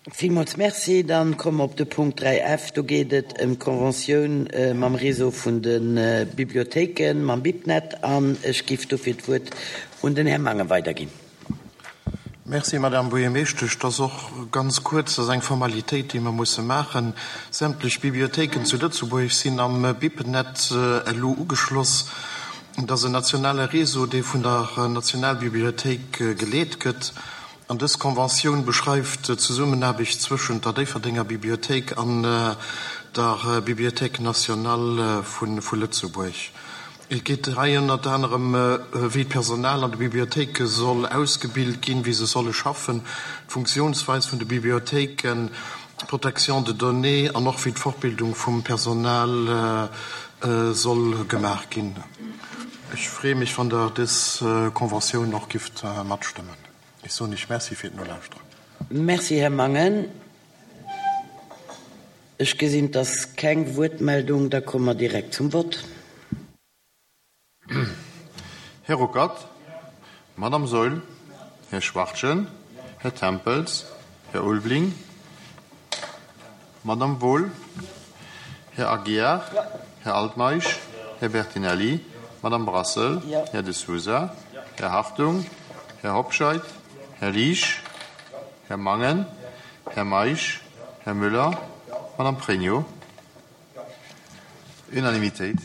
Villmools Merci. Dann komme mer op de Punkt 3 F. Do geet et ëm d'Conventioun mam Réseau vun de Bibliothéiken, mam BibNet. An ech giff dofir d'Wuert un den Här Mangen weiderginn. Merci, Madame Buergermeeschtesch. Dat ass och ganz kuerz. Dat ass eng Formalitéit, déi mer musse maachen. Sämtlech Bibliothéiken zu Lëtzebuerg sinn am BibNet elo ugeschloss. Dat ass en nationale Réseau, dee vun der Nationalbibliothéik geleet gëtt. An dës Conventioun beschreift d'Zesummenaarbecht zwëschent der Déifferdenger Bibliothéik an der Bibliothèque nationale vu Lëtzebuerg. Et geet hei ënnert anerem, wéi d'Personal an de Bibliothéike soll ausgebilt ginn, wéi se solle schaffen, d'Funktionsweis vun de Bibliothéiken, d'Protection de données an och wéi d'Fortbildung vum Personal soll gemaach ginn. Ech freeë mech, wann Der dës Conventioun och gifft matstëmmen. Ech soen Iech Merci fir d'Nolauschteren. Merci, Här Mangen. Ech gesinn, et ass keng Wuertmeldung. Da komme mer direkt zum Vott. Här Ruckert, Madame Saeul, Här Schwachtgen, Här Tempels, Här Ulveling, Madame Wohl, Här Aguiar, Här Altmeisch, Här Bertinelli, Madame Brassel, Här De Sousa, Här Hartung, Här Hobscheit, Här Liesch, Här Mangen, Här Meisch, Här Müller, Madame Pregno. Unanimitéit.